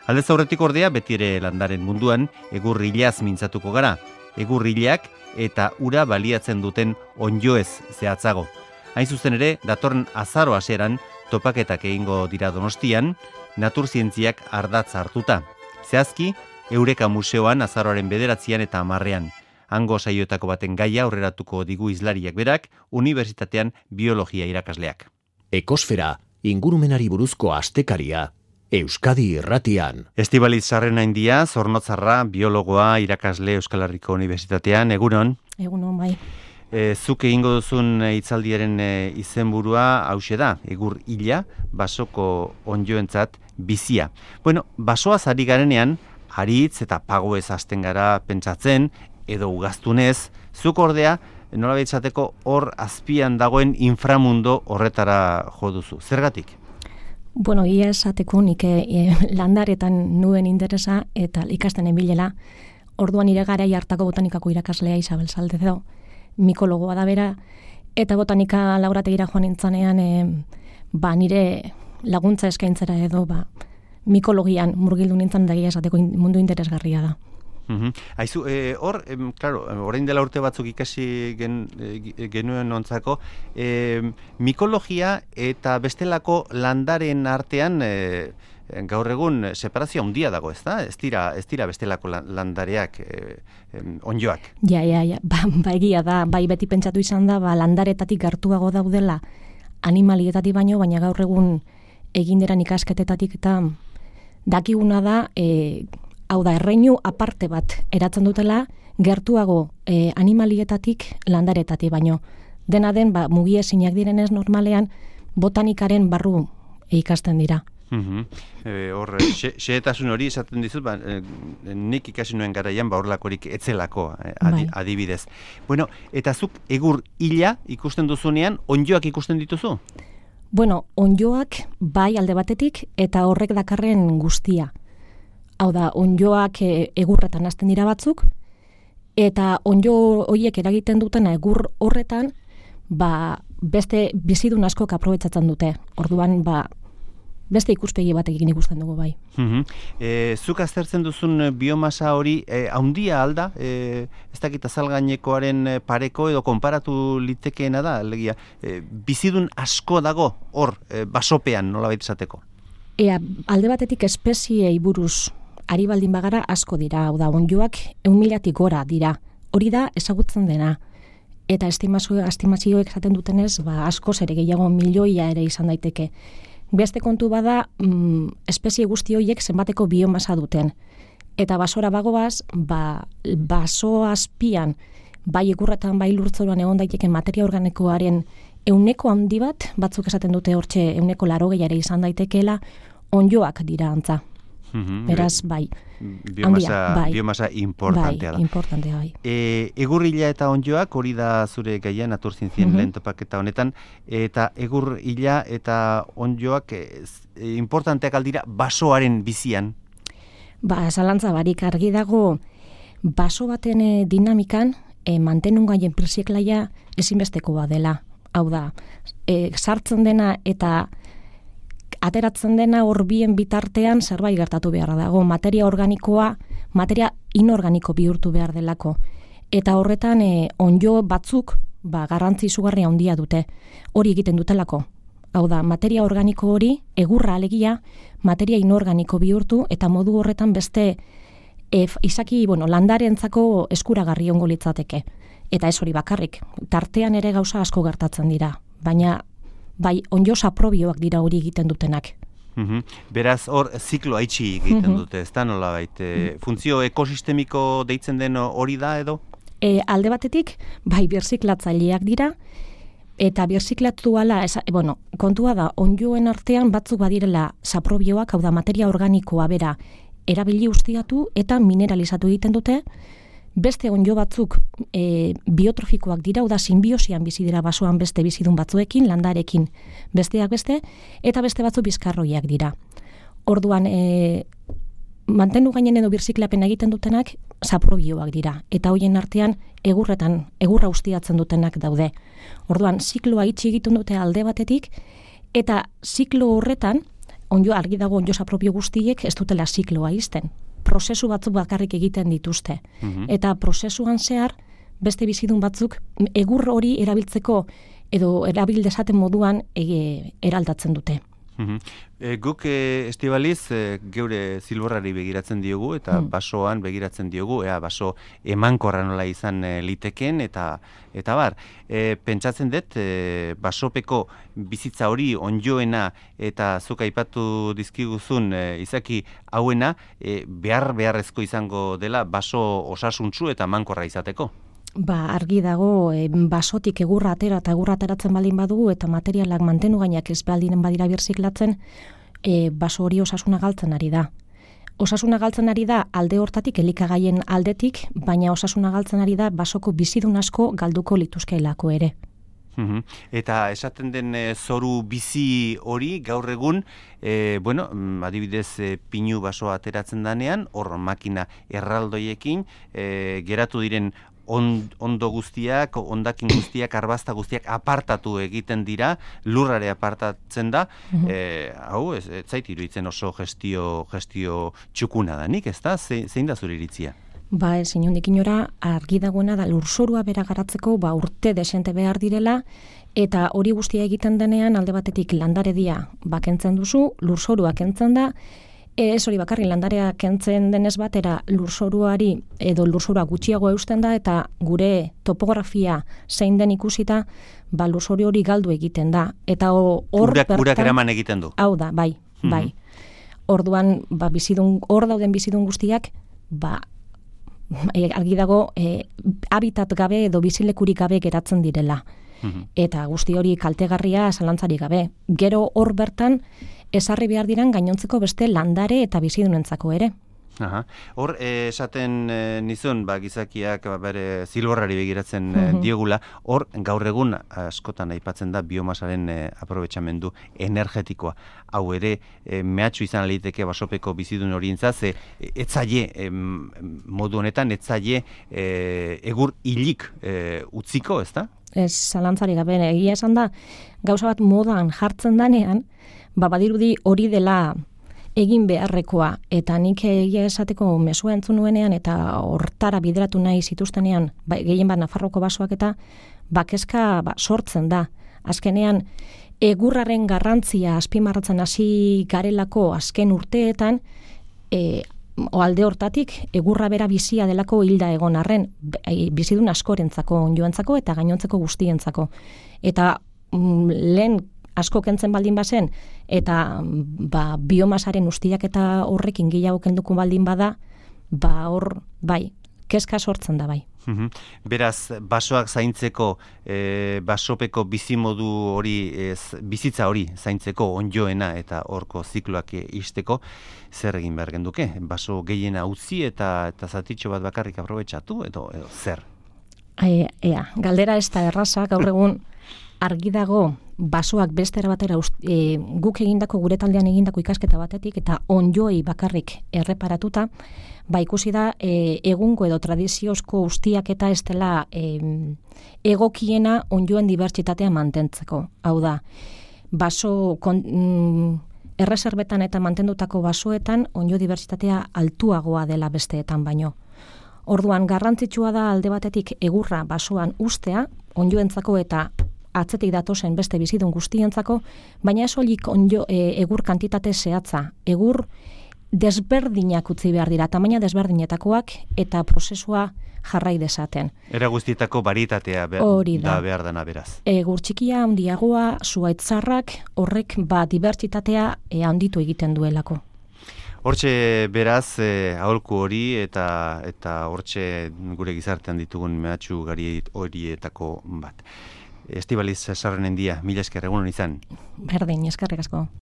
Aldez aurretik ordea beti ere landaren munduan egurrilaz mintzatuko gara. Egurrilak eta ura baliatzen duten ondjoez zehatzago. Hain zuzen ere, datorren azaro hasieran topaketak egingo dira Donostian, naturzientziak ardatz hartuta. Zehazki, Eureka Museoan azaroaren 9 eta 10. Hango saioetako baten gaia aurreratuko digu hizlariak berak, unibertsitatean biologia irakasleak. Ekosfera, ingurumenari buruzko astekaria, Euskadi Irratian. Estibaliz Sarrenaindia, Zornotzarra, biologoa, irakasle Euskal Herriko Unibertsitatean, egunon? Egunon, bai. Zuk egingo duzun hitzaldiaren izenburua hauxe da, egur hila, basoko ondjoentzat bizia. Bueno, basoaz ari garenean, haritz eta pagoez hasten gara pentsatzen, edo ugaztunez, zuk ordea, nolabait esateko hor azpian dagoen inframundo horretara jo duzu. Zergatik? Bueno, ia esateko nik landaretan nuen interesa eta ikasten ebilela, orduan nire garai hartako botanikako irakaslea Isabel Saldezo, mikologoa da bera, eta botanika laborategira joan nintzanean, nire laguntza eskaintzera edo, mikologian murgildu nintzen da egia esateko mundu interesgarria da. Aizu, hor, claro, orain dela urte batzuk ikasi genuen ontzako, mikologia eta bestelako landaren artean gaur egun separazio handia dago, ez da? Ez dira bestelako landareak, ondjoak. Ja, egia da, beti pentsatu izan da, landaretatik gertuago daudela animalietatik baina gaur egun eginderan ikasketetatik eta dakiguna da, hau da, erreinu aparte bat eratzen dutela, gertuago animalietatik landaretatik baino. Dena den, mugiezinak direnez normalean, botanikaren barru ikasten dira. Hor, xehetasun hori esaten dizut, nik ikasi nuen garaian, horlakorik etzelako, adibidez. Bueno, eta zuk egur hila ikusten duzunean, ondjoak ikusten dituzu? Bueno, ondjoak bai alde batetik, eta horrek dakarren guztia. Hau da, ondjoak egurretan hasten dira batzuk, eta ondjo horiek eragiten dutena egur horretan, beste bizidun askok aprobetxatzen dute. Orduan, beste ikuspegi batekin ikusten dugu bai. Zuk aztertzen duzun biomasa hori haundia alda, ez dakit azalgainekoaren pareko edo konparatu litekeena da, alegia, bizidun asko dago hor, basopean nolabait esateko? Alde batetik espeziei buruz ari baldin bagara asko dira, hau da, ondjoak 1.000-tik gora dira. Hori da ezagutzen dena. Eta estimazioek esaten dutenez, asko ere gehiago milioia ere izan daiteke. Beste kontu bada, espezie guzti horiek zenbateko biomasa duten. Eta basora bagoaz, baso azpian, bai egurretan, bai lurtzoruan egon daiteken materia organikoaren 100 handi bat, batzuk esaten dute hortxe 180 ere izan daitekeela, ondjoak dira antza. Beraz, bai. Biomasa importantea da. Bai, importantea, bai. Egurrila eta ondjoak, hori da zure gaia naturzientzien lehen topaketa honetan, eta egurrila eta ondjoak importanteak aldira basoaren bizian? Zalantza barik argi dago, baso baten dinamikan, mantenungaien pirziklaia ezinbestekoa dela. Hau da, sartzen dena eta ateratzen dena horbien bitartean zerbait gertatu beharra dago. Materia organikoa, materia inorganiko bihurtu behar delako. Eta horretan ondjo batzuk garrantzi izugarria handia dute. Hori egiten dutelako. Hau da, materia organiko hori, egurra alegia, materia inorganiko bihurtu, eta modu horretan beste izaki, landarentzako eskuragarri ongo litzateke. Eta ez hori bakarrik. Tartean ere gauza asko gertatzen dira. Baina bai, ondjo saprobioak dira hori egiten dutenak. Beraz, hor, zikloa itxi egiten dute, ez da nola bait? Funtzio ekosistemiko deitzen den hori da edo? Alde batetik, bai, birziklatzaileak dira, eta birziklatu ala, kontua da, ondjoen artean batzuk badirela saprobioak, hau da, materia organikoa bera, erabili ustiatu eta mineralizatu egiten dute, beste ondjo batzuk biotrofikoak dira, da sinbiosian bizi dira basoan beste bizidun batzuekin, landarekin besteak beste, eta beste batzuk bizkarroiak dira. Orduan, mantendu gainen edo birziklapen egiten dutenak saprobioak dira, eta hoien artean egurra ustiatzen dutenak daude. Orduan, zikloa itxi egiten dute alde batetik, eta ziklo horretan, argi dago onjosa propio guztiek ez dutela zikloa izten. Prozesu batzuk bakarrik egiten dituzte. Eta prozesuan zehar, beste bizidun batzuk egur hori erabiltzeko edo erabil dezaten moduan eraldatzen dute. Guk Estibaliz geure zilborrari begiratzen diogu eta basoan begiratzen diogu, baso emankorra nola izan liteken eta bar. Pentsatzen dut basopeko bizitza hori onjoena eta zuk aipatu dizkiguzun izaki hauena beharrezko izango dela baso osasuntsu eta emankorra izateko. Argi dago, basotik egurra atera eta egurra ateratzen baldin badugu eta materialak mantenu gainak ez baldinen badira birziklatzen, baso hori osasuna galtzen ari da. Osasuna galtzen ari da alde hortatik, elikagaien aldetik, baina osasuna galtzen ari da basoko bizidun asko galduko lituzkeelako ere. Eta esaten den zoru bizi hori gaur egun, adibidez pinu basoa ateratzen danean, hor makina erraldoiekin geratu diren ondo guztiak, ondakin guztiak, arbazta guztiak apartatu egiten dira, lurrare apartatzen da, hau ez zait iruditzen oso gestio txukuna danik, ez da? Zein da zure iritzia? Ez inondik inora argi dagoena da lurzorua bera garatzeko urte desente behar direla, eta hori guztia egiten denean alde batetik landaredia kentzen duzu, lurzorua kentzen da, ez hori bakarri landarea kentzen denez batera lurzoruari edo lurzorua gutxiago eusten da eta gure topografia zein den ikusita, lurzoru hori galdu egiten da. Eta hor urak eraman egiten du. Hau da, bai. Orduan, hor dauden bizidun guztiak, argi dago habitat gabe edo bizilekurik gabe geratzen direla. Eta guzti hori kaltegarria zalantzarik gabe. Gero hor bertan ezarri behar diran gainontzeko beste landare eta bizidunentzako ere. Hor, esaten nizun, gizakiak bere zilborrari begiratzen diogula, hor gaur egun askotan aipatzen da biomasaren aprobetxamendu energetikoa. Hau ere, mehatxu izan aliteke basopeko bizidun horientzat, etzaile modu honetan, etzaile egur hilik utziko, ez da? Ez zalantzari gabe, egia esan da, gauza bat modan jartzen danean, badirudi hori dela egin beharrekoa, eta nik egia esateko mezua entzun nuenean eta hortara bideratu nahi zituztenean, gehien bat Nafarroko basoak eta kezka sortzen da. Azkenean, egurraren garrantzia azpimarratzen hasi garelako azken urteetan, alde hortatik, egurra bera bizia delako hilda egon arren, bizidun askorentzako, onjoentzako eta gainontzeko guztientzako. Eta lehen asko kentzen baldin bazen, eta biomasaren ustiak eta horrekin gehiago kenduko baldin bada, hor, kezka sortzen da bai. Beraz, basoak zaintzeko, basopeko bizimodu hori, bizitza hori zaintzeko onjoena eta horko zikloak isteko, zer egin behar genduke? Baso gehiena utzi eta zatitxo bat bakarrik aprobetxatu, edo zer? Galdera ez da erraza, gaur egun argi dago basoak beste batera guk egindako, gure taldean egindako ikasketa batetik eta onjoei bakarrik erreparatuta, ikusi da egungo edo tradiziozko ustiak eta ez dela egokiena onjoen dibertsitatea mantentzeko. Hau da, baso erreserbetan eta mantendutako basoetan onjo dibertsitatea altuagoa dela besteetan baino. Orduan, garrantzitsua da alde batetik egurra basoan ustea, onjoentzako eta atzetik datozen beste bizidun guztientzako, baina ez holik egur kantitate zehatza. Egur desberdinak utzi behar dira, tamaina desberdinetakoak eta prozesua jarrai dezaten. Era guztietako baritatea da behar dana beraz. Egur txikia, handiagoa, zuaitzarrak, horrek dibertsitatea handitu egiten duelako. Hortxe beraz, aholku hori eta hortxe gure gizartean ditugun mehatxu gari horietako bat. Estibaliz Sarrenendia, mila esker egunon izan. Berdin, eskerrik asko.